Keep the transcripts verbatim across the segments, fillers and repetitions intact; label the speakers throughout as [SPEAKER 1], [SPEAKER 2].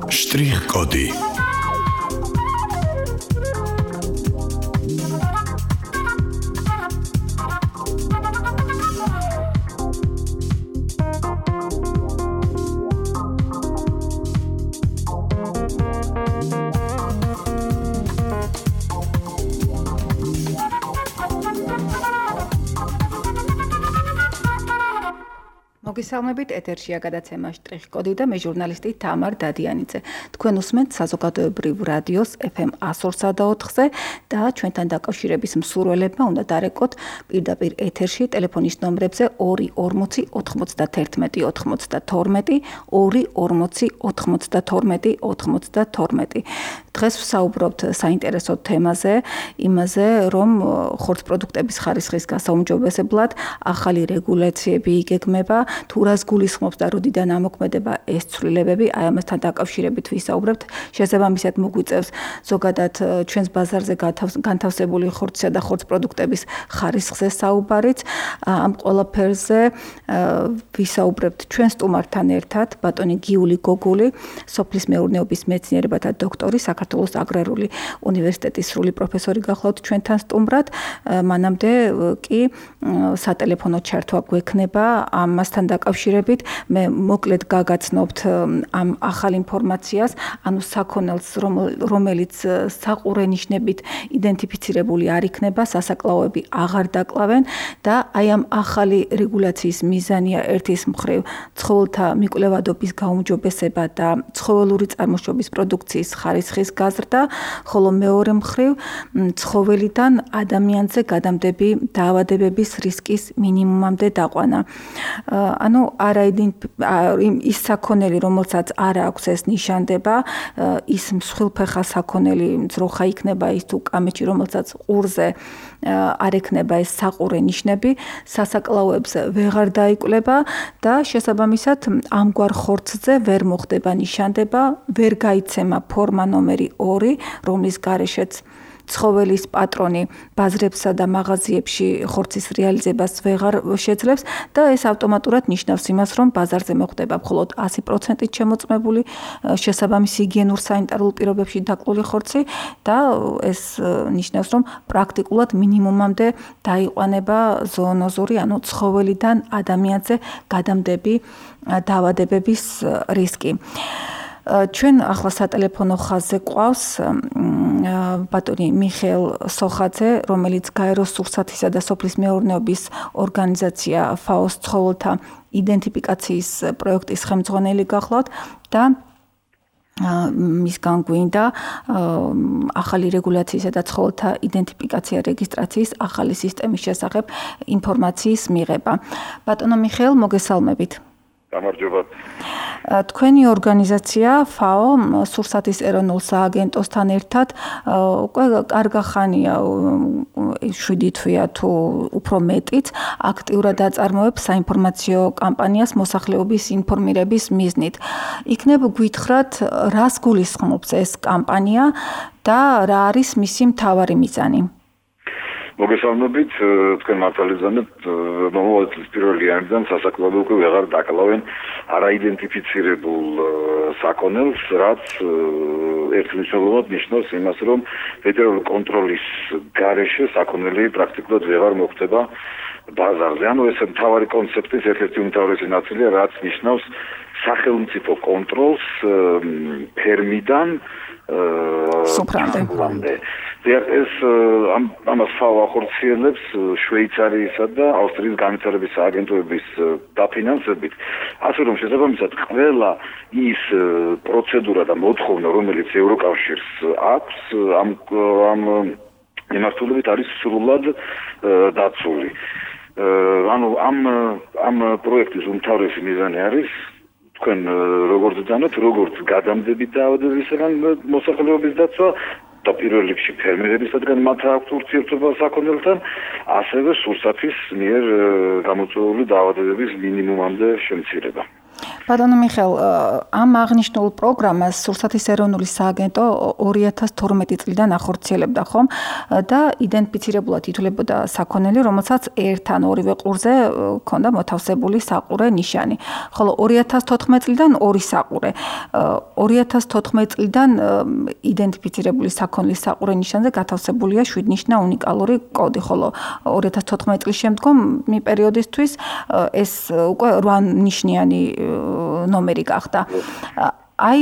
[SPEAKER 1] Штрих-коды.
[SPEAKER 2] მოგესალმებით, ეთერშია გადაცემა შტრიხ-კოდი და მე ჟურნალისტი თამარ დადიანიძე. თქვენ უსმენთ საზოგადოებრივ რადიოს ეფ ემ εκατო ორსა და ოთხზე და ჩვენთან დაკავშირების მსურველებმა უნდა დარეკოთ პირდაპირ ეთერში ტელეფონის ნომრებზე ორი ორმოცი ოთხმოცდათერთმეტი ოცდათორმეტი, ორი ორმოცი ოთხმოცდათორმეტი ოცდათორმეტი. დღეს ვსაუბრობთ საინტერესო თემაზე, იმაზე, რომ ხორცპროდუქტების ხარისხის გასაუმჯობესებლად ახალი რეგულაციები იგეგმება. თუ რას გულისხმობს და როდიდან ამოქმედება ეს ცვლილებები, აი ამასთან დაკავშირებით ვისაუბრებთ. შესაბამისად მოგვიწევს ზოგადად ჩვენს ბაზარზე განთავსებული ხორცისა და ხორცპროდუქტების ხარისხზე საუბარიც. ამ ყველაფერზე ვისაუბრებთ ჩვენ სტუმართან ერთად, ბატონი გიული გოგული, სოფლის მეურნეობის მეცნიერებათა დოქტორი, საქართველოს აგრარული უნივერსიტეტის სრული პროფესორი გახლავთ ჩვენთან სტუმრად. მანამდე კი სატელეფონო ჩართვა გვექნება ამასთან დაკავშირებით. მე მოკლედ გაგაცნობთ ამ ახალ ინფორმაციას, ანუ საქონელს, რომელიც საყურე ნიშნებით იდენტიფიცირებული არ იქნება, სასაკლაოები აღარ დაკლავენ და აი ამ ახალი რეგულაციის მიზანია ერთის მხრივ ცხოველთა მიკვლევადობის გაუმჯობესება და ცხოველური წარმოშობის პროდუქციის ხარისხის გაზრდა, ხოლო მეორე მხრივ ცხოველიდან ადამიანზე გადამდები დაავადებების რისკის მინიმუმამდე დაყვანა. ანუ არა ის საქონელი, რომელსაც არ აქვს ეს ნიშანდება, ის მსხვილფეხა საქონელი ძროხა იქნება, ის თუ კამეჩი, რომელსაც ყურზე არ ექნება ეს საყურე ნიშნები, სასაკლაოებს ვეღარ დაიკვლება და შესაბამისად ამგვარ ხორცზე ვერ მოხდება ნიშანდება, ვერ გაიცემა ფორმა ნომერი ორი, რომლის გარეშეც ცხოველის პატრონი ბაზრებსა და მაღაზიებში ხორცის რეალიზებას ვეღარ შეძლებს და ეს ავტომატურად ნიშნავს იმას, რომ ბაზარზე მოხდება მხოლოდ ასი პროცენტით შემოწმებული შესაბამისი ჰიგიენურ სანიტარულ პირობებში დაკლული ხორცი და ეს ნიშნავს, რომ პრაქტიკულად მინიმუმამდე დაიყვანება ზოონოზური, ანუ ცხოველიდან ადამიანზე გადამდები დაავადებების რისკი. ჩვენ ახლა სატელეფონო ხაზზე ყავს ბატონი მიხეილ სოხაძე, რომელიც გაეროს სურსათისა და სოფლის მეურნეობის ორგანიზაცია ფაოს ცხოველთა იდენტიფიკაციის პროექტის ხელმძღვანელი გახლავთ და მისგან გვინდა ახალი რეგულაციისა და ცხოველთა იდენტიფიკაცია რეგისტრაციის ახალი სისტემის შესახებ ინფორმაციის მიღება. ბატონო მიხეილ, მოგესალმებით.
[SPEAKER 3] გამარჯობა.
[SPEAKER 2] თქვენი ორგანიზაცია ფაო სურსათის ეროვნულ სააგენტოსთან ერთად უკვე კარგა ხანია, შვიდი თვეა თუ უფრო მეტიც, აქტიურად აწარმოებს საინფორმაციო კამპანიას მოსახლეობის ინფორმირების მიზნით. იქნებ გვითხრათ, რას გულისხმობს ეს კამპანია და რა არის მისი მთავარი მიზანი?
[SPEAKER 3] მოგესალმებით, თქვენ მართალი ზანებთ, მომავალ წლის პირველი იანვრიდან სასაკლაოები უკვე ვეღარ დაკლავენ არაიდენტიფიცირებულ საქონელს, რაც ერთმნიშვნელოვნად ნიშნავს იმას, რომ ფედერალური კონტროლის გარეშე საქონელი პრაქტიკულად ვეღარ მოხდება ბაზარზე. ანუ ეს მთავარი კონცეფციის ერთ-ერთი უმთავრესი ნაწილია, რაც ნიშნავს სახელმწიფო კონტროლს ფერმიდან
[SPEAKER 2] სოფრამდე.
[SPEAKER 3] ეს ამას ფაო ახორციელებს შვეიცარიისა და ავსტრიის განვითარების სააგენტოების დაფინანსებით. ასე რომ შესაბამისად ყველა ის პროცედურა და მოთხოვნა, რომელიც ევროკავშირს აქვს, ამ ამ მიმართულებით არის სრულად დაცული. ანუ ამ ამ პროექტის უმთავრესი მიზანი არის თქვენ როგორც ძანოთ, როგორც გადამდები დაავადებისგან მოსახლეობის დაცვა და პირველ რიგში ფერმერებისგან მათ აქვს ურთიერთობა საქონელთან, ასევე სურსათის მიერ გამოწვეული დაავადებების მინიმუმამდე შემცირება.
[SPEAKER 2] ბატონო მიხეილ, ამ აღნიშნულ პროგრამას სურსათის ეროვნული სააგენტო ორი ათას თორმეტი წლიდან ახორციელებდა ხომ და იდენტიფიცირებულად ითვლებოდა საქონელი, რომელსაც ერთ ან ორივე ყურზე ჰქონდა მოთავსებული საყურე ნიშანი. ხოლო ორი ათას თოთხმეტი წლიდან ორი საყურე. ორი ათას თოთხმეტი წლიდან იდენტიფიცირებული საქონლის საყურე ნიშანზე გათავსებულია შვიდნიშნა უნიკალური კოდი, ხოლო ორი ათას თოთხმეტი წლის შემდგომ მი პერიოდისთვის ეს უკვე რვანიშნიანი ნომერი გახდა. აი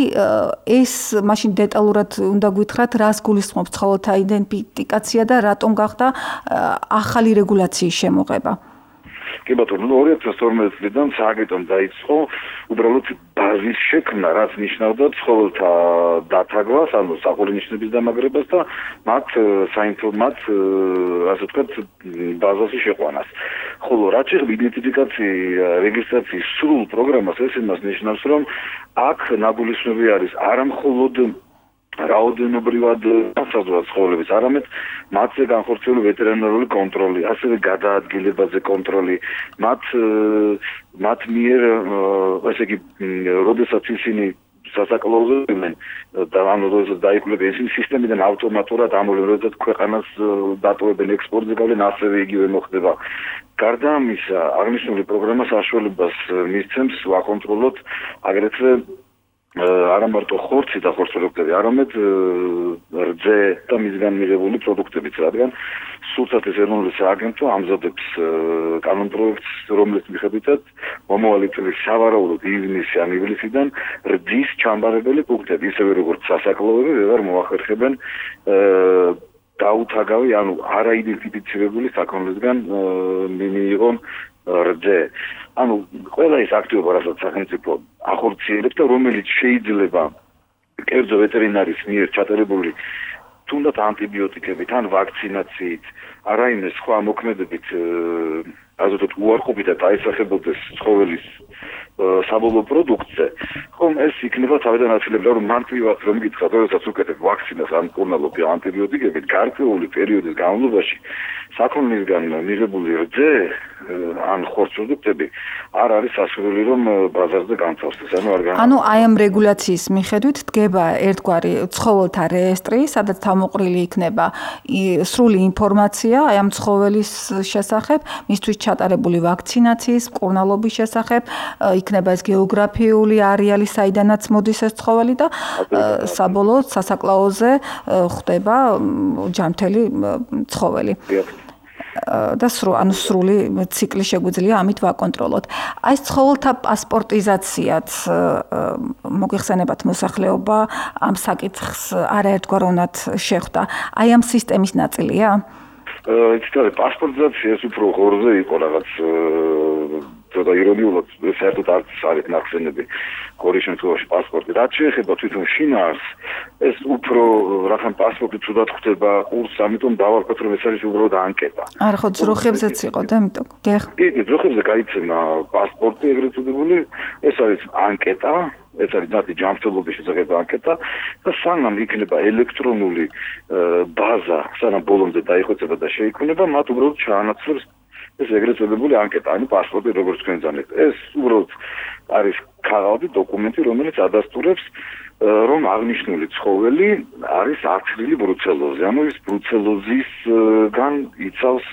[SPEAKER 2] ეს მაშინ დეტალურად უნდა გვითხრათ, რას გულისხმობს ცხოველთა იდენტიფიკაცია და რატომ გახდა ახალი რეგულაციის შემოღება.
[SPEAKER 3] კი ბატონო, ორი ათას თორმეტი წლიდან სააგენტომ დაიწყო უბრალოდ ბაზის შექმნა, რაც ნიშნავდა ცხოველთა დათაგვას, ანუ საყურე ნიშნების დამაგრებას და მათ საინფორმატ, ასე ვთქვათ, ბაზაში შეყვანას. ხოლო რაც შეეხება იდენტიფიკაციის რეგისტრაციის სრულ პროგრამას, ეს იმას ნიშნავს, რომ აქ ნაგულისხმები არის არა მხოლოდ რაოდენობრივად განსაზღვრა ცხოველების, არამედ მათზე განხორციელებული ვეტერინარული კონტროლი, ასევე გადაადგილებაზე კონტროლი, მათ მათ მიერ, ესე იგი, როდესაც ისინი სასაკლაუზებენ და ანუ როდესაც დაიკვლევენ ისინი სისტემიდან ავტომატურად ამოვლენ, ქვეყანას დატოვებენ ექსპორტზე გავლენ, ასევე იგივე მოხდება. გარდა ამისა, აღნიშნული პროგრამა საშუალებას მისცემს ვაკონტროლოთ აგრეთვე არა მარტო ხორცი და ხორცპროდუქტები, არამედ რძე და მისგან მიღებული პროდუქტებიც, რადგან სურსათის ეროვნული სააგენტო ამზადებს კანონპროექტს, რომლის მიხედვითაც მომავალი წლის სავარაუდოდ ივნისი ან ივლისიდან რძის ჩამბარებელი პუნქტები, ისევე როგორც სასაკლაოები, ვეღარ მოახერხებენ დაუთაგავი, ანუ არაიდენტიფიცირებული საქონლისგან მიიღონ რძე. ანუ ყველა ის აქტივობა, რასაც სახელმწიფო ახორციელებს და რომელიც შეიძლება კერძო ვეტერინარის მიერ ჩატარებული თუნდაც ანტიბიოტიკებით ან ვაქცინაციით, არაიმე სხვა მოქმედებით, ასე ვთქვათ, უარყოფით და დაისახებოდეს ცხოველის საბოლოო პროდუქტზე, ხომ ეს იქნება თავიდან აცილებდა, რომ მარტივად რომ გითხრათ, როდესაც უკეთებ ვაქცინას ან მკურნალობი ანტიბიოტიკებით, გარკვეული პერიოდის განმავლობაში საქონლისგან მიღებული რძე ან ხორცპროდუქტები არ არის სასურველი, რომ ბაზარზე განთავსდეს. ანუ არ გან
[SPEAKER 2] ანუ აი ამ რეგულაციის მიხედვით დგება ერთგვარი ცხოველთა რეესტრი, სადაც თავმოყრილი იქნება სრული ინფორმაცია აი ამ ცხოველის შესახებ, მისთვის ჩატარებული ვაქცინაციის, მკურნალობის შესახებ, იქნება ეს გეოგრაფიული არეალი, საიდანაც მოდის ეს ცხოველი და საბოლოოდ სასაკლაოზე ხდება ჯანმრთელი ცხოველი. და სრულ ანუ სრული ციკლი შეგვიძლია ამით ვაკონტროლოთ. აი ეს ცხოველთა პასპორტიზაციაც მოგიხსენებათ მოსახლეობა ამ საკითხს არაერთგვაროვნად შეხვდა. აი ამ სისტემის ნაწილია?
[SPEAKER 3] იცით, პასპორტიზაცია ეს უფრო ღორზე იყო რაღაც ცოტა ირონიულად, საერთოდ არც არის ნახსენები გორის შემთხვევაში პასპორტი. რაც შეეხება თვითონ შინაარსს, ეს უფრო რახან პასპორტი თუდად ხდება ყურს, ამიტომ დავარქვათ, რომ ეს არის უბრალოდ ანკეტა.
[SPEAKER 2] არა, ხო, ძროხებზეც იყო და ამიტომ. დიახ.
[SPEAKER 3] კი, ძროხებზე გაიცემა პასპორტი, ეგრეთ წოდებული, ეს არის ანკეტა, ეს არის ნათი ჯანმრთელობის შესახებ ანკეტა და სანამ იქნება ელექტრონული ბაზა, სანამ ბოლომდე დაიხოცება და შეიქმნება, მათ უბრალოდ ჩაანაცვლებს ეს ეგრეთ წოდებული ანკეტა, ანუ პასპორტი როგორც თქვენ ძანეთ. ეს უბრალოდ არის ქაღალდი დოკუმენტი, რომელიც ადასტურებს, რომ აღნიშნული ცხოველი არის აცრილი ბრუცელოზი. ანუ ის ბრუცელოზისგან იცავს,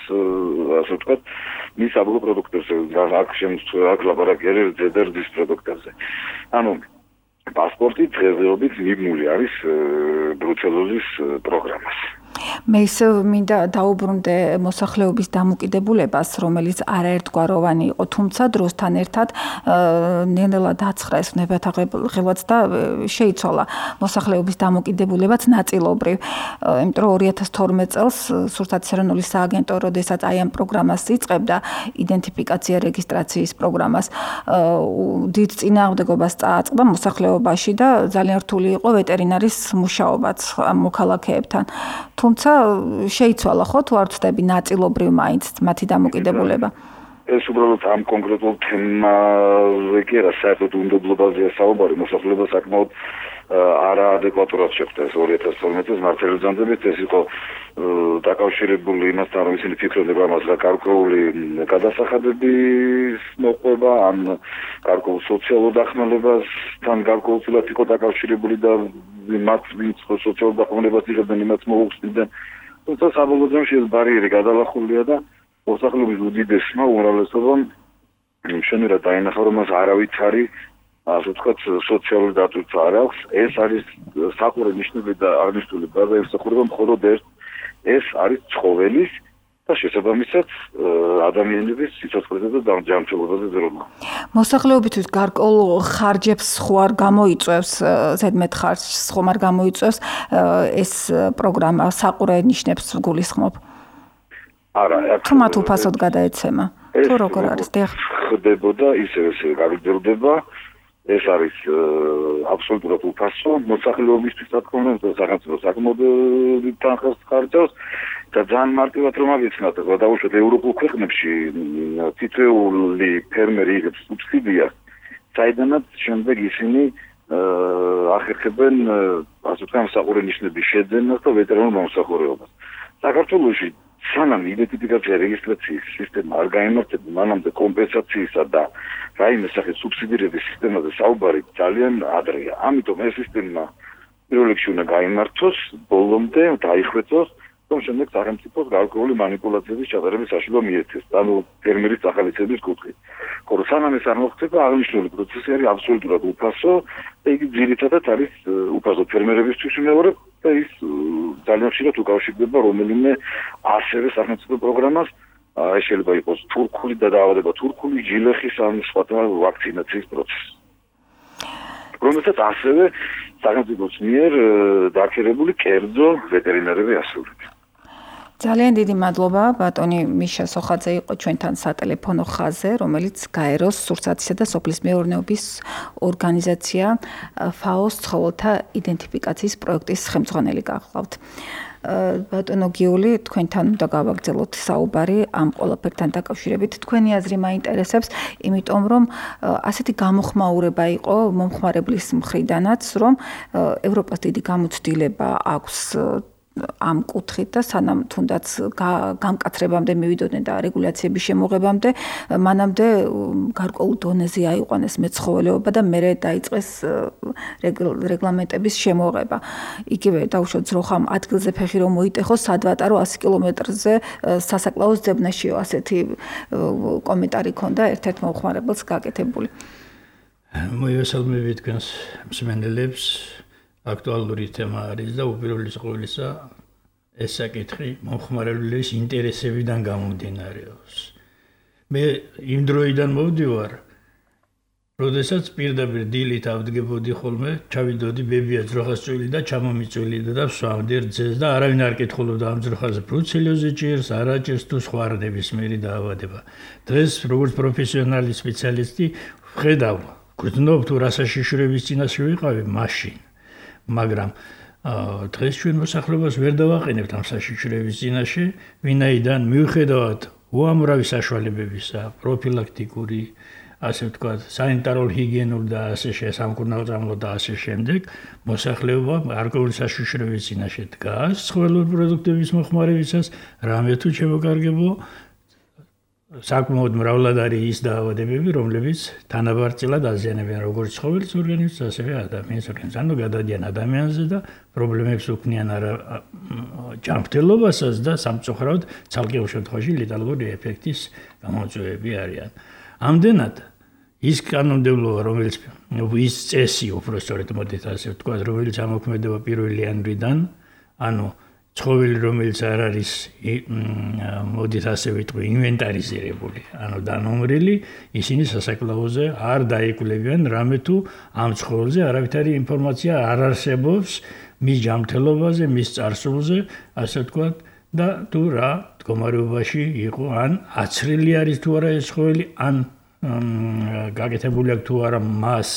[SPEAKER 3] ასე ვთქვათ, მის საბოლოო პროდუქტებზე, აქ შემთხვევაში აქ ლაპარაკი არის რძეძის პროდუქტებზე. ანუ პასპორტი დღესდღეობით მიბმული არის ბრუცელოზის პროგრამას.
[SPEAKER 2] მე ისე მინდა დაუბრუნდე მოსახლეობის დამოკიდებულებას, რომელიც არაერთგვაროვანი იყო, თუმცა დროსთან ერთად ნელ-ნელა დაცხრა ეს ნებათაღელვაც და შეიცვალა მოსახლეობის დამოკიდებულებაც ნაწილობრივ. იმიტომ რომ ორი ათას თორმეტი წელს სურსათის ეროვნული სააგენტო, როდესაც აი ამ პროგრამას იწყებდა, იდენტიფიკაცია რეგისტრაციის პროგრამას, დიდ წინააღმდეგობას წააწყდა მოსახლეობაში და ძალიან რთული იყო ვეტერინარის მუშაობაც ამ მოქალაქეებთან. თუმცა შეიცვალა ხო თუ არ ვწდები ნაწილობრივ მაინც მათი დამოკიდებულება?
[SPEAKER 3] ეს უბრალოდ ამ კონკრეტულ თემაზე კი არა, საერთოდ უნდობლობაზეა საუბარი, მოსახლეობა საკმაოდ არაადეკვატურად შეხვდა ეს ორი ათას თორმეტი წლის მართალი ბრძანებით. ეს იყო დაკავშირებული იმასთან, რომ ისინი ფიქრობდნენ, რომ ამას გარკვეული გადასახადების მოყვება, ან გარკვეულ სოციალურ დახმარებასთან გარკვეულწილად იყო დაკავშირებული და მათ ვინც სოციალურ დახმარებას იღებდნენ, იმათ მოუხსნიდნენ. თუმცა საბოლოო ჯამში ეს ბარიერი გადალახულია და მოსახლეობის უდიდესმა უმრავლესობამ შენერად დაინახა, რომ მას არავითარი ასე ვთქვათ, სოციალური დატვირთვა არ აქვს. ეს არის საყურე ნიშნული და აღნიშნული ბაზა ემსახურება მხოლოდ ერთ, ეს არის ცხოველის და შესაბამისად ადამიანების სიცოცხლეზე და ჯანმრთელობაზე ზრუნვა.
[SPEAKER 2] მოსახლეობისთვის გარკვეულ ხარჯებს ხო არ გამოიწვევს, ზედმეტ ხარჯს ხომ არ გამოიწვევს ეს პროგრამა საყურე ნიშნებს გულისხმობ?
[SPEAKER 3] არა,
[SPEAKER 2] თუ მათ უფასოდ გადაეცემა. თუ როგორ არის? დიახ.
[SPEAKER 3] ხდებოდა ისევ ისევ გაგრძელდება. ეს არის აბსოლუტურად უფასო მოსახლეობისთვის, რა თქმა უნდა, სახელმწიფო საკმაოდ თანხას ხარჯავს და ძალიან მარტივად რომ აღიქმნათ, გადავუშვათ ევროპულ ქვეყნებში თითოეული ფერმერი იღებს სუბსიდიას, საიდანაც შემდეგ ისინი ახერხებენ ასე ვთქვათ საყურე ნიშნების შეძენას და ვეტერინარ მომსახურებას. საქართველოში სანამ იდენტიფიკაცია რეგისტრაციის სისტემა არ გაიმართება, მანამდე კომპენსაციისა და რაიმე სახის სუბსიდირების სისტემაზე საუბარი ძალიან ადრეა. ამიტომ ეს სისტემა პირველ რიგში უნდა გაიმართოს, ბოლომდე დაიხვეწოს, რომ შემდეგ სახელმწიფოს გარკვეული манипуляციების ჩატარების საშუალება მიეცეს, ანუ ფერმერის ახალიცების კუთხით. ხოლო სანამ ეს არ მოხდება, აღნიშნული პროცესი არის აბსოლუტურად უფასო და იგი ძირითადად არის უფასო ფერმერებისთვის მეორე და ის ძალიან ხშირად უკავშირდება რომელიმე ასევე სახელმწიფო პროგრამას, ეს შეიძლება იყოს თურქული და დაავადება თურქული, ჯილეხის ან სხვა ვაქცინაციის პროცესი. რომელსაც ასევე სახელმწიფოს მიერ დაქერებული კერძო ვეტერინარები ასრულებენ.
[SPEAKER 2] ძალიან დიდი მადლობა, ბატონი მიშა სოხაძე იყო ჩვენთან სატელეფონო ხაზზე, რომელიც გაეროს სურსათისა და სოფლის მეურნეობის ორგანიზაცია ფაოს ცხოველთა იდენტიფიკაციის პროექტის ხელმძღვანელი გახლავთ. ბატონო გიული, თქვენთან უნდა გავაგრძელოთ საუბარი ამ ყველაფერთან დაკავშირებით. თქვენი აზრი მაინტერესებს, იმიტომ რომ ასეთი გამოხმაურება იყო მომხმარებლის მხრიდანაც, რომ ევროპას დიდი გამოცდილება აქვს ამ კუთხით და სანამ თუნდაც გამკაცრებამდე მივიდოდნენ და რეგულაციების შემოღებამდე, მანამდე გარკვეულ დონეზე აიყვანეს მეცხოველეობა და მერე დაიწყეს რეგლამენტების შემოღება. იგივე დაუშვათ ძროხამ ადგილზე ფეხი რომ მოიტეხოს, სადვატარო ასი კილომეტრზე სასაკლაოს ძებნაშიო, ასეთი კომენტარი ქონდა ერთ-ერთ მომხმარებელს გაკეთებული.
[SPEAKER 1] მოიესალმებით თქვენს მსმენელებს. Aktuალური თემა არის და უპირველეს ყოვლისა ეს საკითხი მომხმარებლის ინტერესებიდან გამომდინარეობს. მე იმ დროიდან მოვდივარ, როდესაც პირდაპირ დილით ავდგებოდი ხოლმე, ჩავიდოდი ბებია ძროხას წვილი და ჩამომიწვილი და ვსვამდი რძეს და არავინ არ კითხულობდა ამ ძროხაზე ბრუცელოზი ჭირს, არა ჭირს თუ სხვა ნებისმიერი დაავადება. დღეს როგორც პროფესიონალი სპეციალისტი ვხედავ, გვგრძნობ თუ რა საშიშროების წინაშე ვიყავი მაშინ. მაგრამ დღეს ჩვენ მოსახლეობას ვერ დავაყენებთ ამ საშიშროების წინაშე, ვინაიდან მიუხედავად უამრავი საშუალებებისა, პროფილაქტიკური, ასე ვთქვათ, სანიტარო-ჰიგიენურ და ასე შესამკურნალო და ასე შემდეგ, მოსახლეობა გარკვეული საშიშროების წინაშე დგას ცხოველური პროდუქტების მოხმარებისას, რამე თუ შემოკარგებო საკმაოდ მრავლად არის ის დაავადებები, რომლებიც თანაბარწილად აზიანებენ როგორც ცხოველის ორგანიზმს, ასევე ადამიანის ორგანიზმს. ანუ გადადიან ადამიანზე და პრობლემებს უქმნიან არა ჯანმრთელობასაც და სამწუხაროდ ცალკეულ შემთხვევაში ლეტალური ეფექტის გამოწვევები არიან. ამდენად ის კანონმდებლობა, რომელიც ის წესი, უпростоრეთ მოდით ასე ვთქვათ, რომელიც ამოქმედება პირველი იანვრიდან, ანუ ცხოველი, რომელიც არ არის მოდით ასე ვიტყვი, ინვენტარიზირებული, ანუ დანომრილი, ისინი სასაკლაოზე არ დაიკვლევიან, რამე თუ ამ ცხოველზე არავითარი ინფორმაცია არ არსებობს მის ჯანმრთელობაზე, მის წარსულზე, ასე ვთქვათ, და თუ რა მდგომარეობაში იყო, ან აცრილი არის თუ არა ეს ცხოველი, ან გაკეთებული აქვს თუ არა მას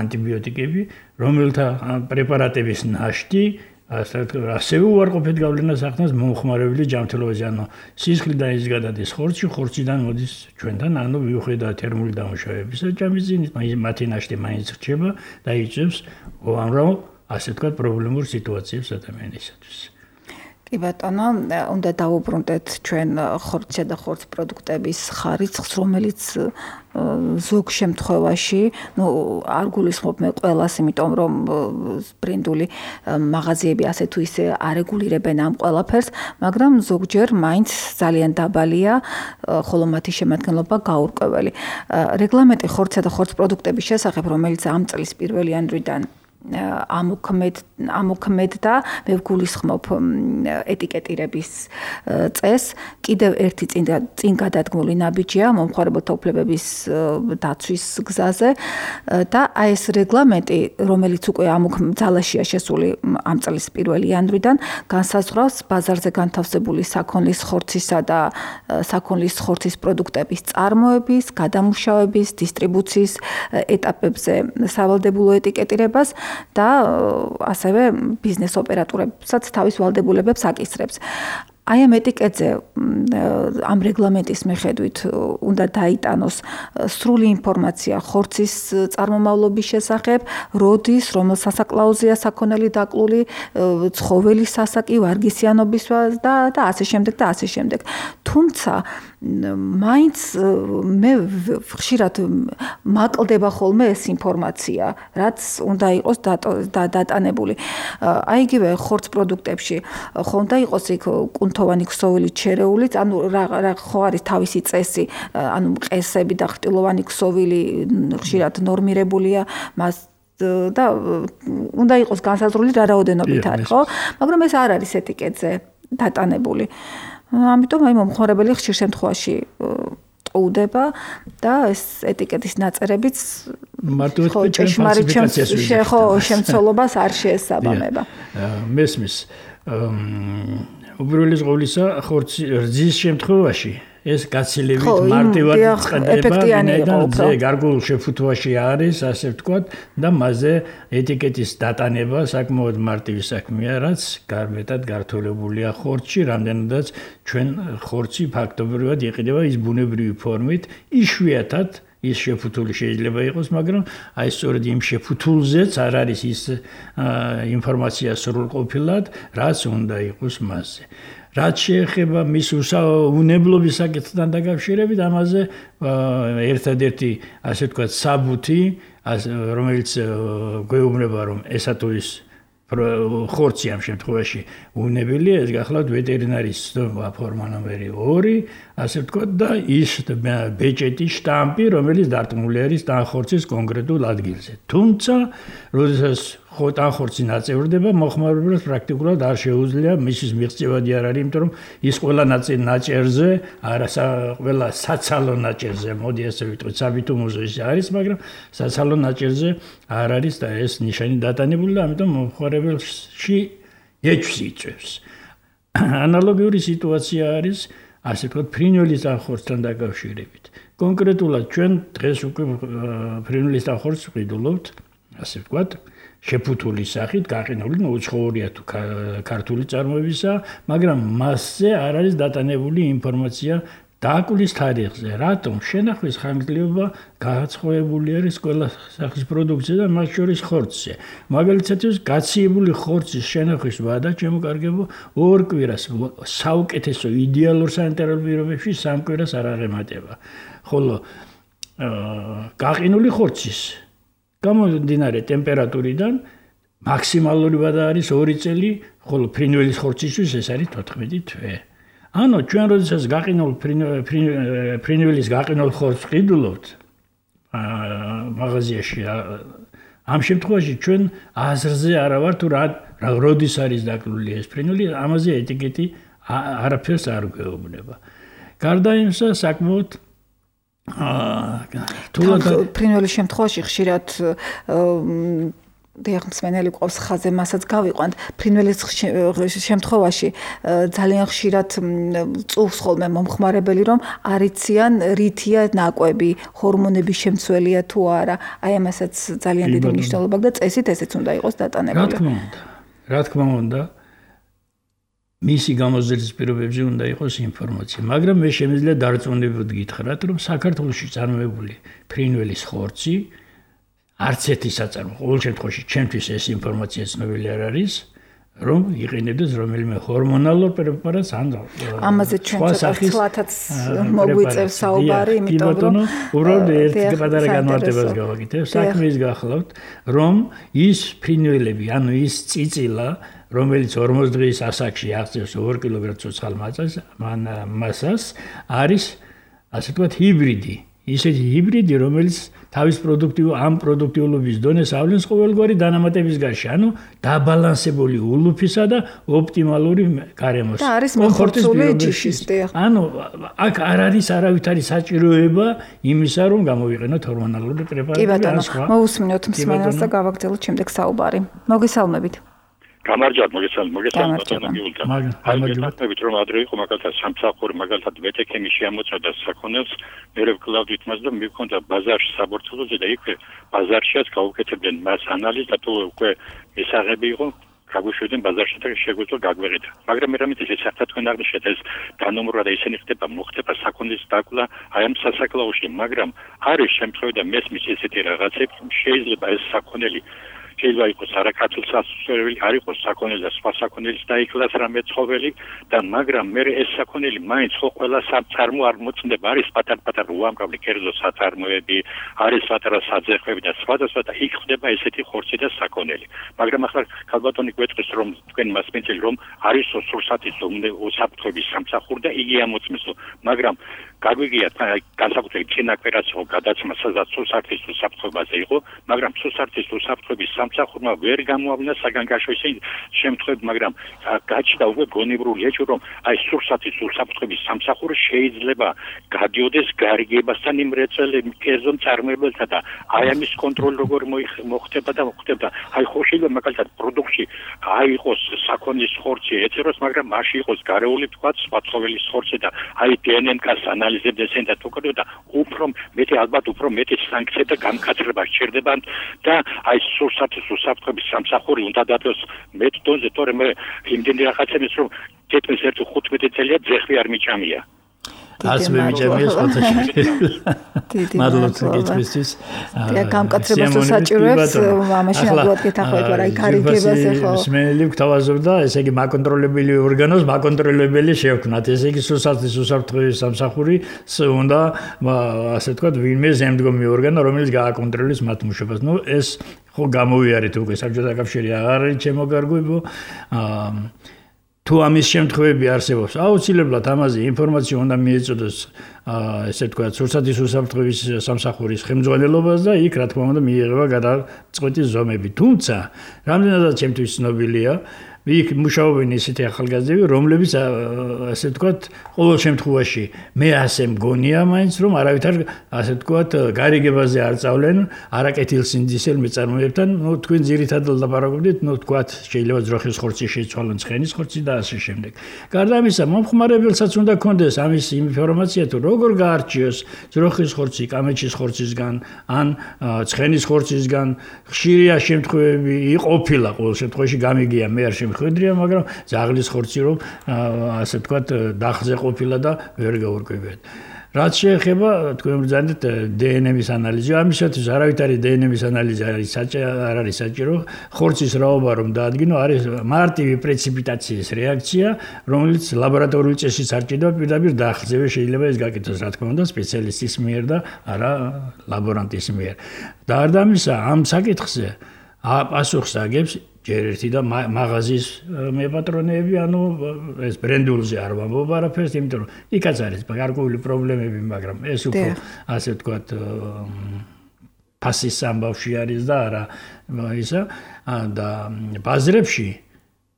[SPEAKER 1] ანტიბიოტიკები, რომელთა პრეპარატების ნაშთი ასევე უარყოფით გავლენას ახდენს მომხმარებელი ჯანმრთელობაზე, ანუ სისხლიდან ის გადადის ხორცში, ხორციდან მოდის ჩვენთან, ანუ მიუხედავად თერმული დამუშავებისა, ჯამიზინით მათი ნაშთი მაინც რჩება და იწვევს უამრავ, ასე ვთქვათ, პრობლემურ სიტუაციებს ადამიანისათვის.
[SPEAKER 2] კი ბატონო, უნდა დავუბრუნდეთ ჩვენ ხორცსა და ხორცის პროდუქტების ხარისხს, რომელიც ზოგ შემთხვევაში, ну, არ გულისხმობ მე ყველას, იმიტომ რომ ბრენდული მაღაზიები ასე თუ ისე არეგულირებენ ამ ყველაფერს, მაგრამ ზოგჯერ მაინც ძალიან დაბალია, ხოლო მათი შემადგენლობა გაურკვეველი. რეგლამენტი ხორცსა და ხორცის პროდუქტების შესახებ, რომელიც ამ წლის პირველი იანვრიდან ამოქმედ ამოქმედდა, მე ვგულისხმობ ეტიკეტირების წესს, კიდევ ერთი წინ წინ გადადგმული ნაბიჯია მომხმარებელთა უფლებების დაცვის გზაზე და აი ეს რეგლამენტი, რომელიც უკვე ამოქმედალაშია შესული ამ წლის პირველი იანვრიდან, განსაზღვრავს ბაზარზე განთავსებული საქონლის ხორცისა და საქონლის ხორცის პროდუქტების წარმოების, გადამუშავების, დისტრიბუციის ეტაპებზე სავალდებულო ეტიკეტირებას და ასევე ბიზნეს ოპერატორებსაც თავის ვალდებულებებს აკისრებს. აი ამ ეტიკეტზე ამ რეგლამენტის მიხედვით უნდა დაიტანოს სრული ინფორმაცია ხორცის წარმომავლობის შესახებ, როდის, რომელ სასაკლაუზეა საქონელი დაკლული, ცხოველის სასაკი, ვარგისიანობის და და ასე შემდეგ და ასე შემდეგ. თუმცა მაინც მე ხშირად მაკლდება ხოლმე ეს ინფორმაცია, რაც უნდა იყოს დატანებული. აი იგივე ხორცის პროდუქტებში ხო უნდა იყოს იქ კუნთოვანი ქსოვილით შერეულიც, ანუ რა რა ხო არის თავისი წესი, ანუ მყესები და ხრტილოვანი ქსოვილი ხშირად ნორმირებულია, მას და უნდა იყოს განსაზღვრული რა რაოდენობით არის, ხო? მაგრამ ეს არ არის ეტიკეტზე დატანებული. ამიტომ აი მომხმარებელი ხშირ შემთხვევაში ტყუდება და ეს ეტიკეტის ნაწერებიც
[SPEAKER 1] მარტივად ფალსიფიკაციას
[SPEAKER 2] ხო შემცველობას არ შეესაბამება.
[SPEAKER 1] მესმის უბრალოდ ყოვლისა ხორცი რძის შემთხვევაში ეს გაცილებით მარტივად წყდება, ვინაიდან ზე გარკვეულ შეფუთვაში არის, ასე ვთქვათ, და მასზე ეტიკეტის დატანება საკმაოდ მარტივი საქმეა, რაც გარბეტად გართულებულია ხორცში, რამდენადაც ჩვენ ხორცი ფაქტობრივად იყიდება ის ბუნებრივი ფორმით, იშვიათად ის შეფუთული შეიძლება იყოს, მაგრამ აი სწორედ იმ შეფუთულზეც არ არის ის ინფორმაცია სრულყოფილად, რაც უნდა იყოს მასზე. რაც შეეხება მის უნებლობის საკითხთან დაკავშირებით, ამაზე ერთადერთი, ასე ვთქვათ, საბუთი, რომელიც გვეუბნება, რომ ესა თუ ის ხორცი ამ შემთხვევაში უნებელია, ეს გახლავთ ვეტერინარის ფორმა ნომერი ორი, ასე ვთქვათ, და ის ბეჭედი შტამპი, რომელიც დარტყმული არის ტანხორცის კონკრეტულ ადგილზე. თუმცა, როდესაც ტანხორცი ნაწევრდება, მომხმარებელს პრაქტიკულად არ შეუძლია მისის მიღწევადი არ არის, იმიტომ რომ ის ყველა ნაწილი ნაჭერზე, არა ყველა საცალო ნაჭერზე, მოდი ასე ვიტყვით, საბიტუმოზე ის არის, მაგრამ საცალო ნაჭერზე არ არის და ეს ნიშანი დატანებული და ამიტომ მომხმარებელში ეჭვს იწვევს. ანალოგიური სიტუაცია არის, ასე ვთქვათ, ფრინველის ტანხორცთან დაკავშირებით. კონკრეტულად ჩვენ დღეს უკვე ფრინველის ტანხორცს ვყიდულობთ, ასე ვთქვათ, შეფუთული სახით, გაყინული, ნუ უცხოურია თუ ქართული წარმოებისა, მაგრამ მასზე არ არის დატანებული ინფორმაცია დაკვლის თარიღზე. რატომ? შენახვის ხანგრძლივობა გააცხოვებული არის ყველა სახის პროდუქცია და მათ შორის ხორცზე. მაგალითად, გაციებული ხორცის შენახვის ვადა შემოკარგება ორ კვირას, საუკეთესო იდეალურ სანიტარულ პირობებში სამ კვირას არ აღემატება. ხოლო გაყინული ხორცის გამომდინარე ტემპერატურიდან მაქსიმალური ვადა არის ორი წელი, ხოლო ფრინველის ხორცისთვის ეს არის თოთხმეტი თვე. ანუ ჩვენ როდესაც გაყინულ ფრინველის გაყინულ ხორცს ვყიდულობთ მაღაზიაში, ამ შემთხვევაში ჩვენ აზრზე არა ვართ თუ რა როდის არის დაკლული ეს ფრინველი, ამაზე ეტიკეტი არაფერს არ გვეუბნება. გარდა იმისა, საკმაოდ
[SPEAKER 2] თულად ფრინველის შემთხვევაში ხშირად დიახმსმენელი ყავს ხაზე, მასაც გავიყვანთ. ფრინველის შემთხვევაში ძალიან ხშირად წუხს ხოლმე მომხმარებელი, რომ არიციან რითია ნაკვები, ჰორმონების შემცველია თუ არა. აი ამასაც ძალიან დიდი მნიშვნელობა აქვს და წესით ესეც უნდა იყოს დატანებული.
[SPEAKER 1] რა თქმა უნდა. რა თქმა უნდა, მისი გამოძიების პირობებზე უნდა იყოს ინფორმაცია, მაგრამ მე შემიძლია დარწმუნებულად გითხრათ, რომ საქართველოში წარმოებული ფრინველის ხორცი არც ერთი საწარმო, ყოველ შემთხვევაში ჩემთვის ეს ინფორმაცია ცნობილი არ არის, რომ იყენებდეს რომელიმე ჰორმონალურ პრეპარატს ან
[SPEAKER 2] ამაზე ჩვენ ცოტათაც მოგვიწევს საუბარი, იმიტომ რომ
[SPEAKER 1] უბრალოდ ერთ პატარა განმარტებას გავაკეთებ, საქმე ის გახლავთ, რომ ის ფრინველები, ანუ ის წიწილა რომელიც ორმოც დღის ასაკში აღწევს ორ კილოგრამ ცოცხალ მასას, არის ასე ვთქვათ ჰიბრიდი. ისეთი ჰიბრიდი, რომელიც თავის პროდუქტივ ამ პროდუქტიულობის დონეს ავლენს ყოველგვარი დანამატების გარშე, ანუ დაბალანსებული ულუფისა და ოპტიმალური გარემოს.
[SPEAKER 2] და არის მოხორცული ჯიშისტი.
[SPEAKER 1] ანუ აქ არ არის არავითარი საჭიროება იმისა, რომ გამოვიყენოთ ჰორმონალური პრეპარატები.
[SPEAKER 2] კი ბატონო, მოусმინოთ მსმენელს და გავაგრძელოთ შემდეგ საუბარი. მოგესალმებით.
[SPEAKER 4] გამარჯობათ, მოგესალმებით, მოგესალმებით ბატონო გიულთან. მაგალითად, რომ ადრე იყო მაგალითად სამსახური, მაგალითად ვეტექემი შეამოწოდა საქონელს, მე ვკლავდით მას და მივქონდა ბაზარში საბორცელოზე და იქვე ბაზარშიაც გაუკეთებდნენ მას ანალიზს და თუ უკვე მისაღები იყო გაგვიშვიდნენ ბაზარში და შეგვიძლია გაგვეღეთ. მაგრამ მე რამე ეს საერთოდ თქვენ აღნიშნეთ ეს დანომრვა და ისინი ხდება, მოხდება საქონლის დაკლა აი ამ სასაკლაოში, მაგრამ არის შემთხვევა და მესმის ესეთი რაღაცები, შეიძლება ეს საქონელი შეიძლება იყოს არაქართულ სასწავლებელი, არ იყოს საქონელი და სხვა საქონელის დაიკლას რამე ცხოველი და მაგრამ მე ეს საქონელი მაინც ხო ყველა საწარმო არ მოწმდება, არის პატარ-პატარ უამრავი კერძო საწარმოები, არის პატარა საძეხვები და სხვადასხვა და იქ ხდება ესეთი ხორცი და საქონელი. მაგრამ ახლა ქალბატონი გვეტყვის რომ თქვენ მასპინძელი რომ არის სურსათის უსაფრთხოების სამსახური და იგი ამოწმეს, მაგრამ გაგვიგიათ განსაკუთრებით წინაკვირაც იყო გადაცემა სადაც სურსათის უსაფრთხოებაზე იყო, მაგრამ სურსათის უსაფრთხოების სამსახურმა ვერ გამოავლინა საგანგაშო ისეთი შემთხვევები, მაგრამ გაჩნდა უკვე გონივრული ეჭვი, რომ აი სურსათის უსაფრთხოების სამსახური შეიძლება გადიოდეს გარიგებასთან იმ რეწველების კერძო მწარმოებელთა და აი ამის კონტროლი როგორ მოხდება და მოხდება. აი ხო შეიძლება მაგალითად პროდუქტში აი იყოს საქონლის ხორცი ეწეროს, მაგრამ მასში იყოს გარეული თქვა სხვა ცხოველის ხორცი და აი დე ენ ენ-ს ანალიზებს და თუკო და უფრო მეტი ალბათ უფრო მეტი სანქცია და გამკაცრება სჭირდება და აი სურსათის უსაფრთხოების სამსახური უნდა დადოს მეტ დონეზე, თორემ მე იმდენი რაღაცების რომ თითქმის ერთი ხუთმეტი წელია ძეხვი არ მიჭამია.
[SPEAKER 1] ას მე მიჭამია სხვათაშორის. მადლობთ გითხრისთვის.
[SPEAKER 2] და გამკაცრებას საჭიროებს ამაში ნამდვილად გეთახმებით, მაგრამ აი გარიგებაზე ხო.
[SPEAKER 1] მსმენელი გვთავაზობდა, ესე იგი მაკონტროლებელი ორგანოს მაკონტროლებელი შევქმნათ. ესე იგი სურსათის უსაფრთხოების სამსახური უნდა ასე ვთქვათ ვინმე ზემდგომი ორგანო, რომელიც გააკონტროლებს მათ მუშაობას. ნუ ეს ხო გამოვიარეთ უკვე საბჭოთა კავშირი აღარ არის ჩემო გარგვებო. აა თუ ამის შემთხვევები არსებობს, აუცილებლად ამაზე ინფორმაცია უნდა მიეწოდოს ესე ვთქვათ, სურსათის უსაფრთხოების სამსახურის ხელმძღვანელობას და იქ რა თქმა უნდა მიიღება გადაწყვეტის ზომები. თუმცა, რამდენადაც ჩემთვის ცნობილია, იქ მუშაობენ ისეთი ახალგაზრდები, რომლებიც ასე ვთქვათ, ყოველ შემთხვევაში მე ასე მგონია მაინც, რომ არავითარ ასე ვთქვათ, გარიგებაზე არ წავლენ არაკეთილსინდისელ მეწარმოებთან, ნუ თქვენ ძირითადად ლაპარაკობდით, ნუ ვთქვათ, შეიძლება ძროხის ხორცი შეიცვალონ, ცხენის ხორცი და ასე შემდეგ. გარდა ამისა, მომხმარებელსაც უნდა კონდეს ამის ინფორმაცია, თუ როგორ გაარჩიოს ძროხის ხორცი კამეჩის ხორცისგან, ან ცხენის ხორცისგან, ხშირია შემთხვევები იყოფილა, ყოველ შემთხვევაში გამიგია მე არ ხვედრია, მაგრამ ძაღლის ხორცი რომ ასე ვთქვათ დახზე ყოფილა და ვერ გაურკვევიათ. რაც შეეხება თქვენ ბრძანდით დე ენ ემის ანალიზი, ამისათვის არავითარი დე ენ ემის ანალიზი არის არ არის საჭირო, ხორცის რაობა რომ დაადგინო, არის მარტივი პრეციპიტაციის რეაქცია, რომელიც ლაბორატორიული წესით არ ჭირდება, პირდაპირ დახზევე შეიძლება ეს გაკეთოს, რა თქმა უნდა, სპეციალისტის მიერ და არა ლაბორანტის მიერ. და გარდა ამისა, ამ საკითხზე პასუხს აგებს ჯერ ერთი და მაღაზიის მეპატრონეები, ანუ ეს ბრენდულზე არ ვამბობ არაფერს, იმიტომ რომ იქაც არის გარკვეული პრობლემები, მაგრამ ეს უფრო ასე ვთქვათ ფასის ამბავში არის და არა ისა და ბაზრებში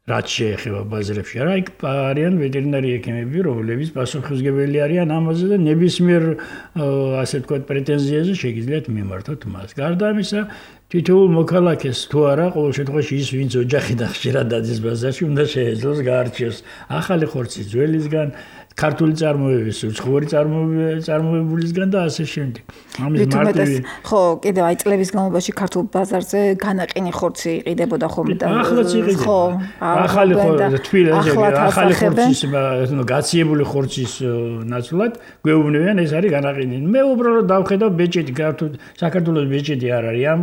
[SPEAKER 1] რაც შეეხება ბაზრებში, რა იქ არიან ვეტერინარი ექიმები, რომლებიც პასუხისმგებელი არიან ამაზე და ნებისმიერ ასე ვთქვათ პრეტენზიაზე შეგიძლიათ მიმართოთ მას. გარდა ამისა, თითოეულ მოქალაქეს თუ არა, ყოველ შემთხვევაში ის ვინც ოჯახიდან ხშირად დადის ბაზარში, უნდა შეეძლოს გაარჩიოს ახალი ხორცი ძველისგან, ქართული წარმოების, უცხოური წარმოებულისგან და ასე შემდეგ.
[SPEAKER 2] ამის მარტივი ხო, კიდევ აი წლების განმავლობაში ქართულ ბაზარზე განაყინი ხორცი იყიდებოდა ხოლმე და
[SPEAKER 1] ახლაც იყიდება. ხო, ახალი ხორცი, თბილისში ახალი ხორცის, ნუ გაციებული ხორცის ნაცვლად გვეუბნებიან ეს არის განაყინი. მე უბრალოდ დავხედავ ბეჭედი ქართულ საქართველოს ბეჭედი არ არის. ამ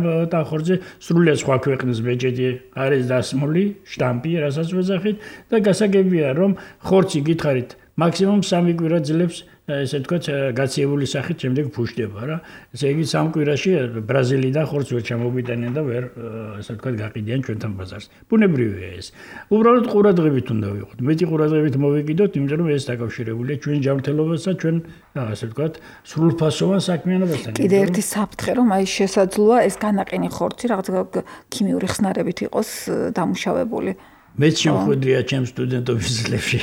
[SPEAKER 1] ხორცზე სრულიად სხვა ქვეყნის ბეჭედი არის დასმული, შტამპი, რასაც ვეძახით და გასაგებია რომ ხორცი გითხარით მაქსიმუმ სამი კვირა ძლებს ესე ვთქვათ გაციებული სახით შემდეგ ფუშდება რა. ესე იგი სამ კვირაში ბრაზილიიდან ხორცს ვერ ჩამოგვიტანენ და ვერ ესე ვთქვათ გაყიდიან ჩვენთან ბაზარს. ბუნებრივია ეს. უბრალოდ ყურადღებით უნდა ვიყოთ. მეტი ყურადღებით მოვეკიდოთ, იმიტომ რომ ეს დაკავშირებულია ჩვენ ჯანმრთელობასთან, ჩვენ ასე ვთქვათ სრულფასოვან საქმიანობასთან.
[SPEAKER 2] კიდე ერთი საფრთხე რომ აი შესაძლოა ეს განაყინი ხორცი რაღაც ქიმიური ხსნარებით იყოს დამუშავებული.
[SPEAKER 1] მეც შემხვედრია ჩემ სტუდენტობის წლებში,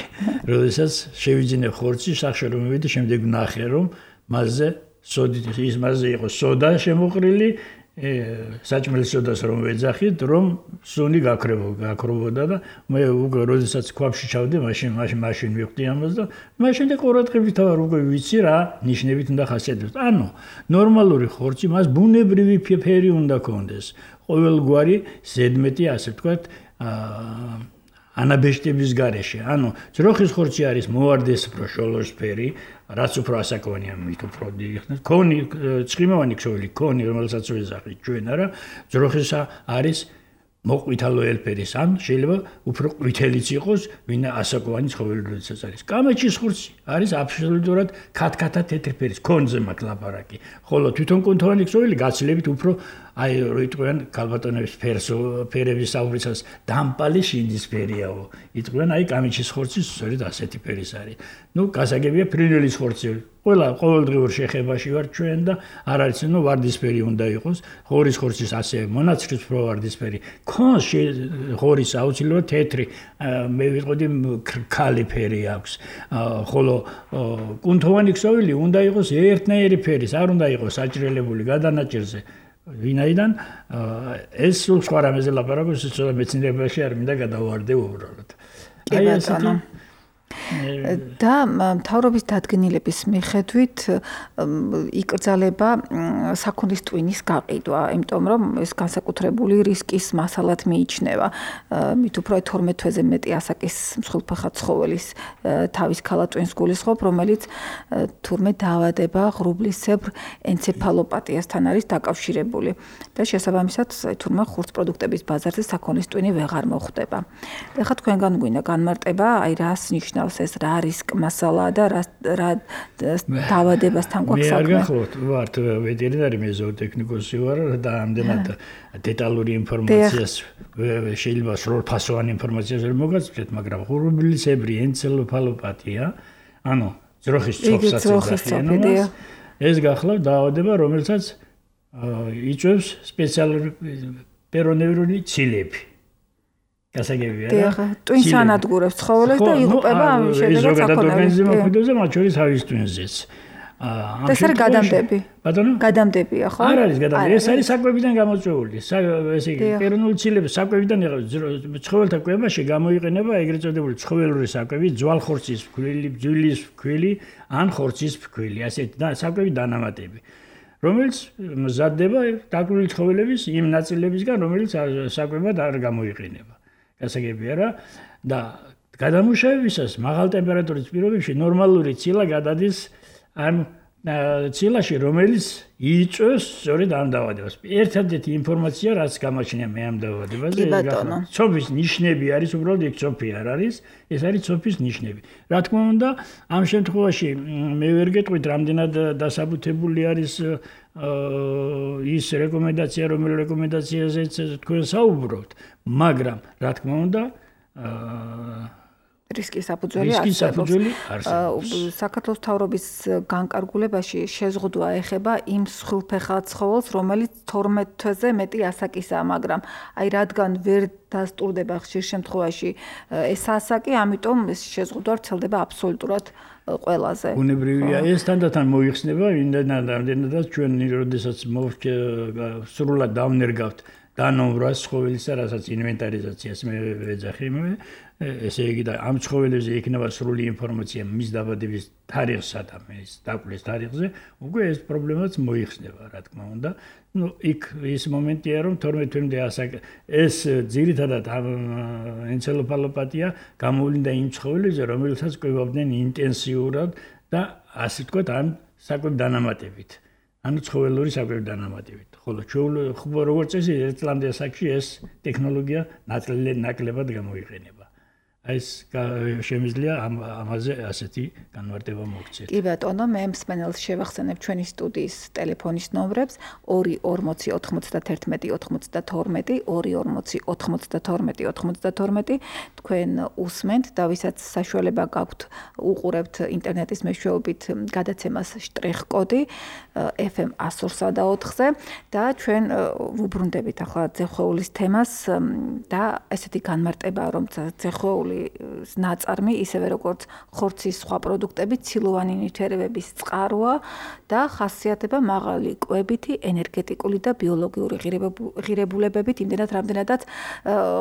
[SPEAKER 1] როდესაც შევიძინე ხორცი, სახში რომ მივედი, შემდეგ ვნახე რომ მასზე სოდით ის მასზე იყო სოდა შემოყრილი, საჭმელის სოდას რომ ვეძახით, რომ სუნი გაქრობოდა და მე უკვე როდესაც ქვაბში ჩავდი, მაშინ მაშინ მაშინ ვიხდი ამას და მაშინ და ყურადღებით ვარ უკვე ვიცი რა ნიშნებით უნდა ხასიათდეს. ანუ ნორმალური ხორცი მას ბუნებრივი ფერი უნდა ქონდეს. ყოველგვარი ზედმეტი ასე ვთქვათ ანაბეჭდების გარეშე. ანუ ძროხის ხორცი არის მოვარდისფრო შოლოსფერი, რაც უფრო ასაკოვანია, მით უფრო დიხნას. კონი, ცხიმოვანი ქსოვილი კონი, რომელსაც ვეძახით ჩვენ არა, ძროხისა არის მოყვითალო ელფერის, ან შეიძლება უფრო ყვითელიც იყოს, ვინ ასაკოვანი ცხოველი როდესაც არის. კამეჩის ხორცი არის აბსოლუტურად ქათქათა თეთრი ფერის, კონზე მაქვს ლაპარაკი. ხოლო თვითონ კუნთოვანი ქსოვილი გაცილებით უფრო აი რო იტყვიან ქალბატონების ფერსო ფერების საუბრისას დამპალი შინდის ფერიაო. იტყვიან აი კამეჩის ხორცი სწორედ ასეთი ფერის არის. ნუ გასაგებია ფრინველის ხორცი. ყველა ყოველდღიურ შეხებაში ვარ ჩვენ და არ არის ნუ ვარდისფერი უნდა იყოს. ღორის ხორცის ასე მონაცრისფრო ვარდისფერი. კონს ღორის აუცილებლად თეთრი მე ვიტყოდი ქალი ფერი აქვს. ხოლო კუნთოვანი ქსოვილი უნდა იყოს ერთნაირი ფერის, არ უნდა იყოს საჭრელებული გადანაჭერზე. ვინაიდან ეს სულ სხვა რამეზე ლაპარაკობს, ეს ცოტა მეცნიერებაში არ მინდა გადავარდე უბრალოდ.
[SPEAKER 2] აი ესეთი და მთავრობის დადგენილების მიხედვით იკრძალება საქონლის ტვინის გაყიდვა, იმიტომ რომ ეს განსაკუთრებული რისკის მასალად მიიჩნევა. მით უფრო თორმეტ თვეზე მეტი ასაკის მსხვილფეხა ცხოველის თავის ქალა ტვინს გულისხმობ, რომელიც თურმე დაავადება ღრუბლისებრ ენცეფალოპათიასთან არის დაკავშირებული და შესაბამისად თურმე ხურც პროდუქტების ბაზარზე საქონლის ტვინი ვეღარ მოხვდება. ეხლა თქვენგან გვინდა განმარტება, აი რას ნიშნავს ეს რა რისკ მასალაა და რა დაავადებასთან გვაქვს საქმე.
[SPEAKER 1] მე არ გახლავთ, ვართ ვეტერინარი, მე ზოოტექნიკოსი ვარ და ამდენად დეტალური ინფორმაციას შეიძლება სრულფასოვანი ინფორმაციას ვერ მოგაცნობთ, მაგრამ ღრუბლისებრი ენცეფალოპათია, ანუ ძროხის წოფსაც ეს გახლავთ დაავადება, რომელსაც იწვევს სპეციალური პერონევრული ცილები. გასაგებია რა.
[SPEAKER 2] ტვინს ანადგურებს ცხოველებს და იღუპება ამის შედეგად
[SPEAKER 1] საქონელი. ზოგადად ორგანიზმი მოქმედებს, მათ შორის თავის ტვინზეც.
[SPEAKER 2] აა ეს არის გადამდები.
[SPEAKER 1] ბატონო?
[SPEAKER 2] გადამდებია, ხო?
[SPEAKER 1] არ არის გადამდები. ეს არის საკვებიდან გამოწვეული. ესე იგი, პერონული ცილები საკვებიდან ცხოველთა კვებაში გამოიყენება ეგრეთ წოდებული ცხოველური საკვები, ძვალხორცის ფქვილი, ბძვლის ფქვილი, ან ხორცის ფქვილი, ასეთი და საკვები დანამატები. რომელიც მზადდება დაკვირვილი ცხოველების იმ ნაწილებისგან, რომელიც საკვებად არ გამოიყენება. გასაგებია რა და გადამუშავებისას მაღალ ტემპერატურის პირობებში ნორმალური ცილა გადადის ამ ცილაში, რომელიც იწვევს სწორედ ამ დაავადებას. ერთადერთი ინფორმაცია, რაც გამაჩნია მე ამ დაავადებაზე, ცოფის ნიშნები არის, უბრალოდ იქ ცოფი არ არის, ეს არის ცოფის ნიშნები. რა თქმა უნდა, ამ შემთხვევაში მე ვერ გეტყვით, რამდენად დასაბუთებული არის ის რეკომენდაცია, რომელი რეკომენდაციაზეც თქვენ საუბრობთ, მაგრამ რა თქმა უნდა,
[SPEAKER 2] რისკის საფუძველი
[SPEAKER 1] რისკის საფუძველი არსებობს.
[SPEAKER 2] საქართველოს მთავრობის განკარგულებაში შეზღუდვა ეხება იმ სხულფეხა ცხოველს, რომელიც თორმეტ თვეზე მეტი ასაკისაა, მაგრამ აი რადგან ვერ დასტურდება ხშირ შემთხვევაში ეს ასაკი, ამიტომ ეს შეზღუდვა ვრცელდება აბსოლუტურად ყველაზე.
[SPEAKER 1] უნებრივია ეს თანდათან მოიხსნება, იმდენადაც ჩვენ როდესაც სრულად დავნერგავთ დანომბრას ცხოველისა, რასაც ინვენტარიზაციას მე ვეძახი მე ესე იგი და ამ ცხოველებზე იქნება სრული ინფორმაცია მის დაბადების თარიღსა და მის დაკვლეს თარიღზე, უკვე ეს პრობლემაც მოიხსნება, რა თქმა უნდა. ნუ იქ ის მომენტია, რომ თორმეტ თვემდე ასაკ ეს ძირითადად ენცეფალოპათია გამოვლინდა იმ ცხოველებზე, რომელსაც კვებავდნენ ინტენსიურად და ასე ვთქვათ, ამ საკვებ დანამატებით. ანუ ცხოველური საკვებ დანამატებით. ხოლო ჩვენ როგორც წესი ერთ წლამდე ასაკში ეს ტექნოლოგია ნაკლებად გამოიყენება. ეს შემიძლია ამაზე ასეთი განმარტება მოგცეთ.
[SPEAKER 2] კი ბატონო, მე მსმენელს შევახსენებ ჩვენი სტუდიის ტელეფონის ნომრებს ორი ორმოცი ოთხმოცდათერთმეტი ოცდათორმეტი, ორი ორმოცი ოთხმოცდათორმეტი ოცდათორმეტი. თქვენ უსმენთ და ვისაც საშუალება გაქვთ უყურებთ ინტერნეტის მეშვეობით გადაცემას შტრიხ-კოდი ეფ ემ εκατო ორსა და ოთხზე და ჩვენ ვუბრუნდებით ახლა ძეხვეულის თემას და ესეთი განმარტება, რომ ძეხვეული ნაწარმი, ისევე როგორც ხორცის სხვა პროდუქტები, ცილოვანი ნივთიერებების წყაროა და ხასიათდება მაღალი კვებითი, ენერგეტიკული და ბიოლოგიური ღირებულებებით, იმდენად რამდენადაც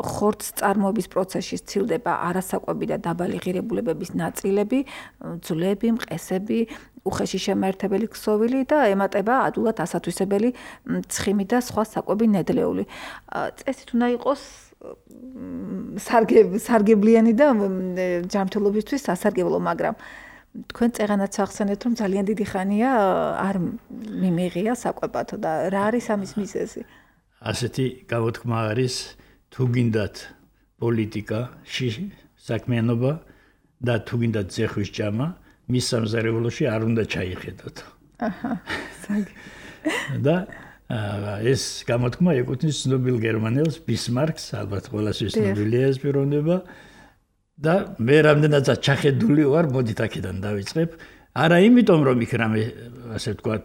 [SPEAKER 2] ხორცს წარმოების პროცესში სცილდება არასაკვები და დაბალი ღირებულებების ნაწილები, ძვლები, მყესები, უხეში შემაერთებელი ქსოვილი და ემატება ადვილად ასათვისებელი ცხიმი და სხვა საკვები ნედლეული. წესით უნდა იყოს სარგებლიანი და ჯანმრთელობისთვის სასარგებლო, მაგრამ თქვენ წეღანაც ახსენეთ, რომ ძალიან დიდი ხანია არ მიმიღია საკვებად და რა არის ამის მიზეზი?
[SPEAKER 1] ასეთი გამოთქმა არის, თუ გინდათ პოლიტიკა, საქმიანობა და თუ გინდათ ძეხვის ჭამა, მის სამზარეულოში არ უნდა ჩაიხედოთ.
[SPEAKER 2] აჰა, საგ.
[SPEAKER 1] და ეს გამოთქმა ეკუთვნის ცნობილ გერმანელს ბისმარკს, ალბათ ყველასთვის ცნობილია ეს პიროვნება და მე რამდენადაც ჩახედული ვარ, მოდით აქედან დავიწყებ. არა იმიტომ, რომ იქ რამე ასე ვთქვათ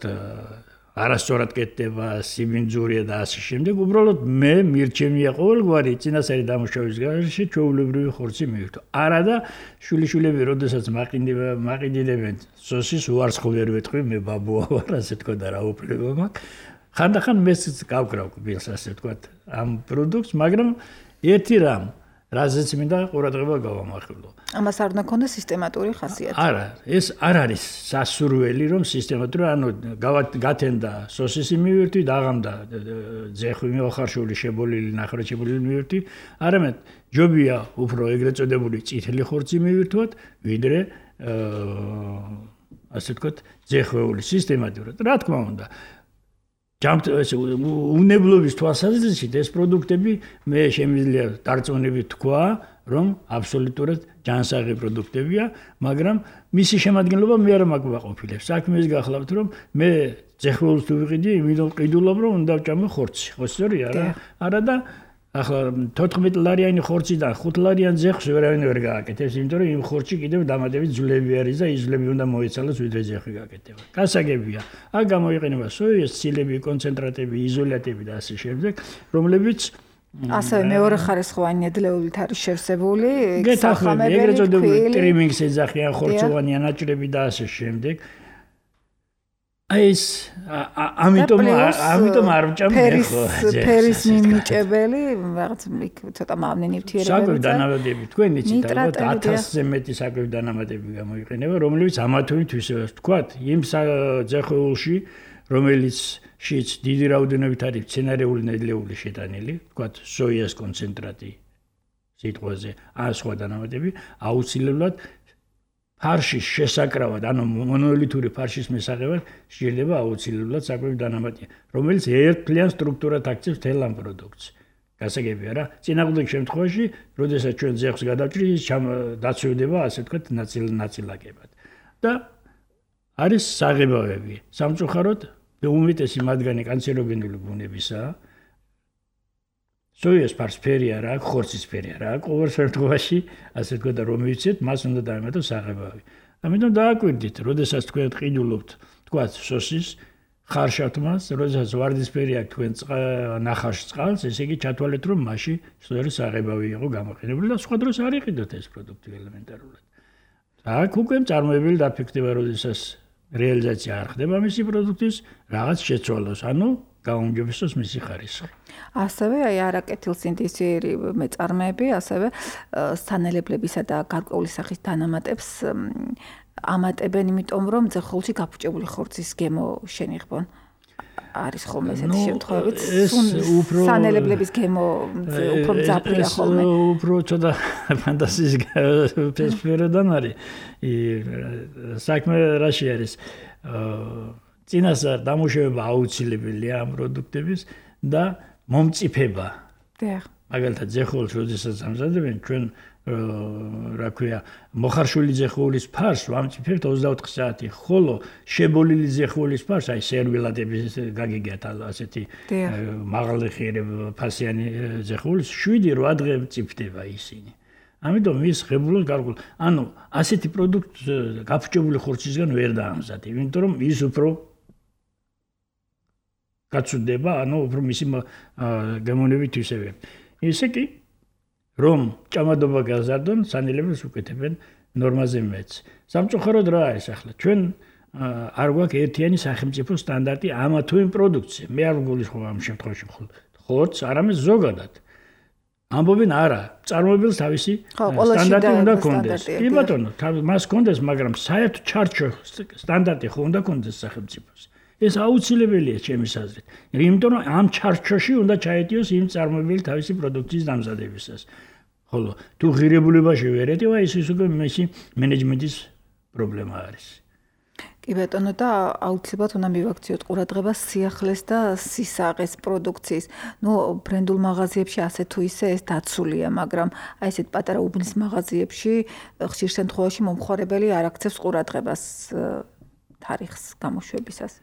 [SPEAKER 1] არასწორად კეთდება, სიმინძურია და ასე შემდეგ, უბრალოდ მე მირჩენია ყოველგვარი წინასწარი დამუშავების გარეშე ჩვეულებრივი ხორცი მივირთო. არა და შვილიშვილები, როდესაც მაყიდიდებენ სოსის, უარცხო ვერ ვეთქვი, მე ბაბუა ვარ, ასე ვთქვათ და რა უფლება მაქვს. ხანდახან მეც გავკრავ ბილს, ასე ვთქვათ, ამ პროდუქტს, მაგრამ ერთი რამ რაზეც მინდა ყურადღება გავამახვილო.
[SPEAKER 2] ამას არ უნდა ქონდეს სისტემატური ხასიათი.
[SPEAKER 1] არა, ეს არ არის სასურველი, რომ სისტემატური, ანუ გათენდა სოსისი მივირთი, დაღამდა ძეხვი მოხარშული, შებოლილი, ნახევრადშებოლილი მივირთი, არამედ ჯობია უფრო ეგრეთ წოდებული წითელი ხორცი მივირთვათ, ვიდრე ასე ვთქვათ, ძეხვეული სისტემატურად. რა თქმა უნდა, უნებლობის თვალსაზრისით ეს პროდუქტები მე შემიძლია დარწმუნებით თქვა, რომ აბსოლუტურად ჯანსაღი პროდუქტებია, მაგრამ მისი შემადგენლობა მე არ მაგვაყოფილებს. საქმე ის გახლავთ, რომ მე ძეხვეულს თუ ვიყიდი, იმით ყიდულობ, რომ უნდა ვჭამო ხორცი. ხო სწორია რა? არა და ახლა თოთხმეტ ლარიანი ხორციდან ხუთ ლარიან ძეხვს ვერავინ ვერ გააკეთებს, იმიტომ რომ იმ ხორცში კიდევ დამატებით ძვლები არის და ის ძვლები უნდა მოეცალოს, ვიდრე ძეხვი გაკეთდება. გასაგებია. აქ გამოიყენება სოიას ცილები, კონცენტრატები, იზოლატები და ასე შემდეგ, რომლებიც
[SPEAKER 2] ასევე მეორე ხარისხოვანი ნედლეულით არის შევსებული,
[SPEAKER 1] გეთახმები, ეგრეთ წოდებული ტრიმინგს ეძახიან, ხორცოვანი ანაჭრები და ასე შემდეგ. ეს ამიტომ ამიტომ არ ვჭამ
[SPEAKER 2] ხო ფერის მიმიჭებელი რაღაც ცოტა მავნე ნივთიერებები
[SPEAKER 1] საკვებ დანამატები თქვენ იცით ალბათ ათასზე მეტი საკვებ დანამატები გამოიყენება რომლებიც ამათობით ისე ვთქვათ იმ ძეხვეულში რომელიც შიც დიდი რაოდენობით არის მცენარეული ნედლეული შეტანილი ვთქვათ სოიას კონცენტრატი სიტყვაზე ან სხვა დანამატები აუცილებლად ფარშის შესაკრავად, ანუ მონოლითური ფარშის მისაღებად შეიძლება აუცილებლად საკვები დანამატია, რომელიც ერთფლიან სტრუქტურად აქცევს მთელ ამ პროდუქტს. გასაგებია რა, წინააღმდეგ შემთხვევაში, როდესაც ჩვენ ძეხვს გადავჭრით, ის დაცვევდება, ასე ვთქვათ, ნაწილ-ნაწილაკებად. და არის საღებავები. სამწუხაროდ, უმეტესი მათგანი კანცეროგენული ბუნებისაა. სოიას ფარსფერი არ აქვს, ხორცის ფერი არ აქვს, ყოველ შემთხვევაში, ასე თქვა და რომ ვიცით, მას უნდა დაემატოს საღებავი. ამიტომ დააკვირდით, როდესაც თქვენ ყიდულობთ, თქვა სოსის ხარშავთ მას, როდესაც ვარდისფერი აქვს თქვენ ნახარშ წყალს, ესე იგი ჩათვალეთ, რომ მასში სწორი საღებავი იყო გამოყენებული და სხვა დროს არ იყიდოთ ეს პროდუქტი ელემენტარულად. აქ უკვე წარმოებული დაფიქრდება, როდესაც რეალიზაცია არ ხდება მისი პროდუქტის, რაღაც შეცვალოს, ანუ გაუმჯობესოს მისი ხარისხი.
[SPEAKER 2] ასევე აი არაკეთილსინთეზური მეწარმეები, ასევე სანელებლებისა და გარკვეული სახის დანამატებს ამატებენ, იმიტომ რომ ძეხულში გაფუჭებული ხორცის გემო შენიღბონ. არის ხოლმე ესეთი შემთხვევები, სანელებლების გემო უფრო მძაფრია ხოლმე.
[SPEAKER 1] უფრო ცოტა ფანტაზიის სფეროდან არის. საქმე რაში არის? წინასწარ დამუშავება აუცილებელია ამ პროდუქტების და მომწიფება.
[SPEAKER 2] დიახ.
[SPEAKER 1] მაგალითად, ძეხულს როდესაც ამზადებენ, ჩვენ რა ქვია, მოხარშული ძეხულის ფარს ვამწიფებთ ოცდაოთხ საათი, ხოლო შებოლილი ძეხულის ფარს, აი სერვილადების გაგიგიათ ასეთი მაღალი ფასიანი ძეხულის შვიდი რვა დღე მწიფდება ისინი. ამიტომ ის ღებულობს გარკვეულ, ანუ ასეთი პროდუქტი გაფუჭებული ხორცისგან ვერ დაამზადებ, იმიტომ რომ ის უფრო გაცუდება, ანუ უფრო მისი გემოვნებით ისევე. ისე კი რომ ჭამადობა გაზარდონ, სანელებს უკეთებენ ნორმაზე მეც. სამწუხაროდ რა არის ახლა? ჩვენ არ გვაქვს ერთიანი სახელმწიფო სტანდარტი ამა თუ იმ პროდუქციაზე. მე არ ვგულისხმობ ამ შემთხვევაში ხორცს, არამედ ზოგადად. ამბობენ არა, წარმოებელს თავისი სტანდარტი უნდა კონდეს. კი ბატონო, მას კონდეს, მაგრამ საერთო ჩარჩო სტანდარტი ხო უნდა კონდეს სახელმწიფოს. ეს აუცილებელია ჩემის აზრით. იმიტომ რომ ამ ჩარჩოში უნდა ჩაეტიოს იმ წარმოებელი თავისი პროდუქციის დამზადებისას. ხოლო თუ ღირებულებაში ვერ ეტივა, ის ის უკვე მისი მენეჯმენტის პრობლემა არის.
[SPEAKER 2] კი ბატონო და აუცილებლად უნდა მივაქციოთ ყურადღებას სიახლეს და სისაღეს პროდუქციის. ნუ ბრენდულ მაღაზიებში ასე თუ ისე ეს დაცულია, მაგრამ აი ესეთ პატარა უბნის მაღაზიებში ხშირ შემთხვევაში მომხმარებელი არ აქცევს ყურადღებას თარიღს გამოშვებისას.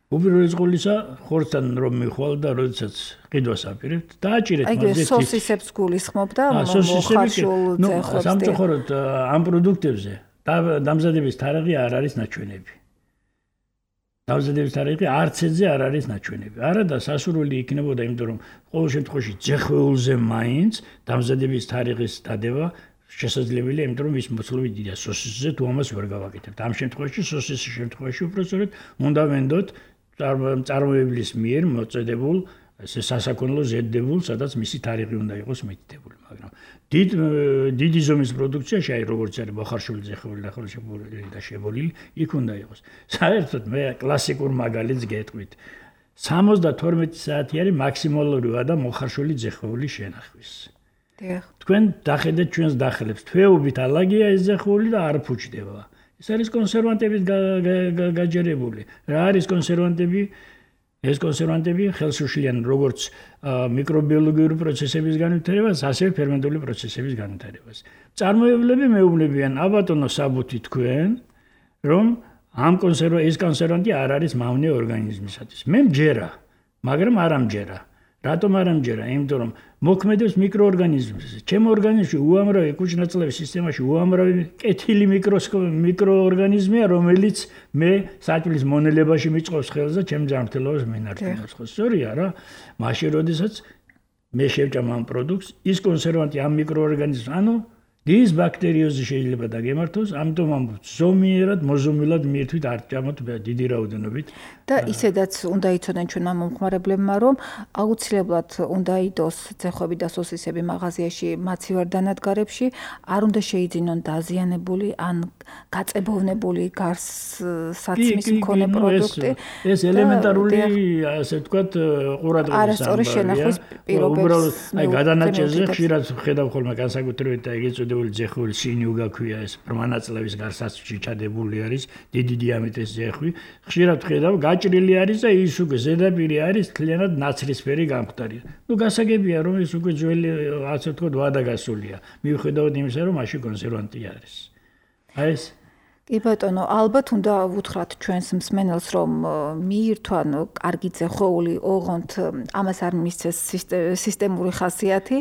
[SPEAKER 1] უპირველეს ყოვლისა, ხორცთან რომ მიხვალ და როდესაც ყიდვას აპირებთ, დააჭირეთ
[SPEAKER 2] მაგაზე თითქოს. აი სოსისებს გულისხმობ და მოხარშულ ძეხებს.
[SPEAKER 1] სამწუხაროდ ამ პროდუქტებზე დამზადების თარიღი არ არის ნაჩვენები. დამზადების თარიღი არც ეზე არ არის ნაჩვენები. არა და სასურველი იქნებოდა, იმიტომ რომ ყოველ შემთხვევაში ძეხვეულზე მაინც დამზადების თარიღის დადება შესაძლებელია, იმიტომ რომ ის მოცულობი დიდია. სოსისზე თუ ამას ვერ გავაკეთებთ. ამ შემთხვევაში სოსისის შემთხვევაში უბრალოდ უნდა ვენდოთ წარმოებლის მიერ მოწედებულ ესე სასაქონლო ზედებულ, სადაც მისი თარიღი უნდა იყოს მითითებული, მაგრამ დიდ დიდი ზომის პროდუქციაში, აი როგორც არის მოხარშული ძეხული და ხოლმე და შებოლილი, იქ უნდა იყოს. საერთოდ მე კლასიკურ მაგალითს გეტყვით. სამოცდათორმეტი საათი არის მაქსიმალური ვადა მოხარშული ძეხული შენახვის.
[SPEAKER 2] დიახ.
[SPEAKER 1] თქვენ დახედეთ ჩვენს დახელებს, თვეობით ალაგია ეს ძეხული და არ ფუჭდება. ეს არის კონსერვანტებით გაჯერებული. რა არის კონსერვანტები? ეს კონსერვანტები ხელს უშლიან როგორც მიკრობიოლოგიური პროცესების განვითარებას, ასევე ფერმენტული პროცესების განვითარებას. წარმოებლები მეუბნებიან, აბატონო საბუთი თქვენ, რომ ამ კონსერვა ეს კონსერვანტი არ არის მავნე ორგანიზმისათვის. მე მჯერა, მაგრამ არ ამჯერა. რატომ არ ამჯერა? იმიტომ რომ მოქმედებს მიკროორგანიზმებზე. ჩემ ორგანიზმში უამრავი კუჭნაწლების სისტემაში უამრავი კეთილი მიკროორგანიზმია, რომელიც მე საჭმლის მონელებაში მიწყობს ხელს და ჩემ ჯანმრთელობას მენარჩუნებს. ხო, სწორია რა? მაშინ როდესაც მე შევჭამ ამ პროდუქტს, ის კონსერვანტი ამ მიკროორგანიზმს, ანუ ის ბაქტერიოზი შეიძლება დაგემართოს, ამიტომ ამ ზომიერად, მოზომილად მიერთვით არ ჭამოთ დიდი რაოდენობით.
[SPEAKER 2] და ისედაც უნდა იცოდნენ ჩვენმა მომხმარებლებმა, რომ აუცილებლად უნდა იდოს ძეხვები და სოსისები მაღაზიაში მაცივარ-დანადგარებში, არ უნდა შეიძინონ დაზიანებული ან გაწებოვნებული გარს საცმის მქონე პროდუქტი.
[SPEAKER 1] ეს ელემენტარული, ასე ვთქვათ, ყურადღების
[SPEAKER 2] არასწორი შენახვის პირობებს.
[SPEAKER 1] აი გადანაჭერზე ხშირად ხედავ ხოლმე განსაკუთრებით და ეგ ეწოდებული ძეხული სინიუგა ქვია, ეს ბრმანაწლების გარსაცმში ჩადებული არის, დიდი დიამეტრის ძეხვი. ხშირად ხედავ გაჭრილი არის და ის უკვე ზედაპირი არის თლიანად ნაცრისფერი გამხდარი. ნუ გასაგებია რომ ის უკვე ძველი ასე ვთქვათ ვადა გასულია. მიუხედავად იმისა რომ მაშინ კონსერვანტი არის. აი ეს
[SPEAKER 2] კი ბატონო, ალბათ უნდა ვუთხრათ ჩვენს მსმენელს, რომ მიირთვან კარგი ზეხოვული, ოღონდ ამას არ მისცეს სისტემური ხასიათი,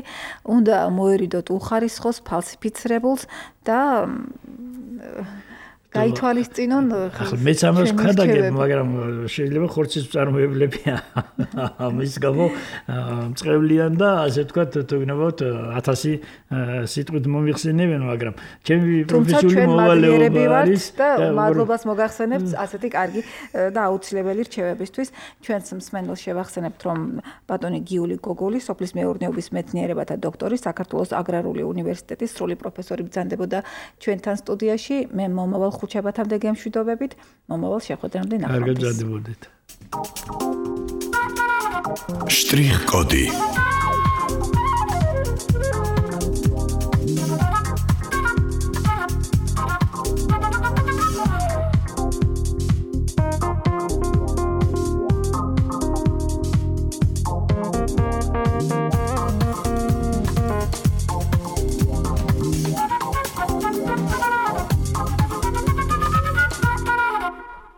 [SPEAKER 2] უნდა მოერიდოთ უხარისხოს, ფალსიფიცირებულს და გაითვალისწინონ
[SPEAKER 1] ახლა მეც ამას ვქადაგებ, მაგრამ შეიძლება ხორცის მწარმოებლები ამის გამო მწყევლიან და ასე ვთქვათ, თუ გნებავთ ათასი სიტყვით მომიხსენებენ, მაგრამ ჩემი პროფესიული მოვალეობა არის
[SPEAKER 2] და მადლობას მოგახსენებთ ასეთი კარგი და აუცილებელი რჩევებისთვის. ჩვენს მსმენელს შევახსენებთ, რომ ბატონი გიული გოგოლი, სოფლის მეურნეობის მეცნიერებათა დოქტორი, საქართველოს აგრარული უნივერსიტეტის სრული პროფესორი ბრძანდებოდა ჩვენთან სტუდიაში. მე მომავალ ხუთშაბათამდე გემშვიდობებით, მომავალ შეხვედრამდე ნახვამდის.
[SPEAKER 1] კარგად გრძდებოდეთ.
[SPEAKER 5] შტრიხ კოდი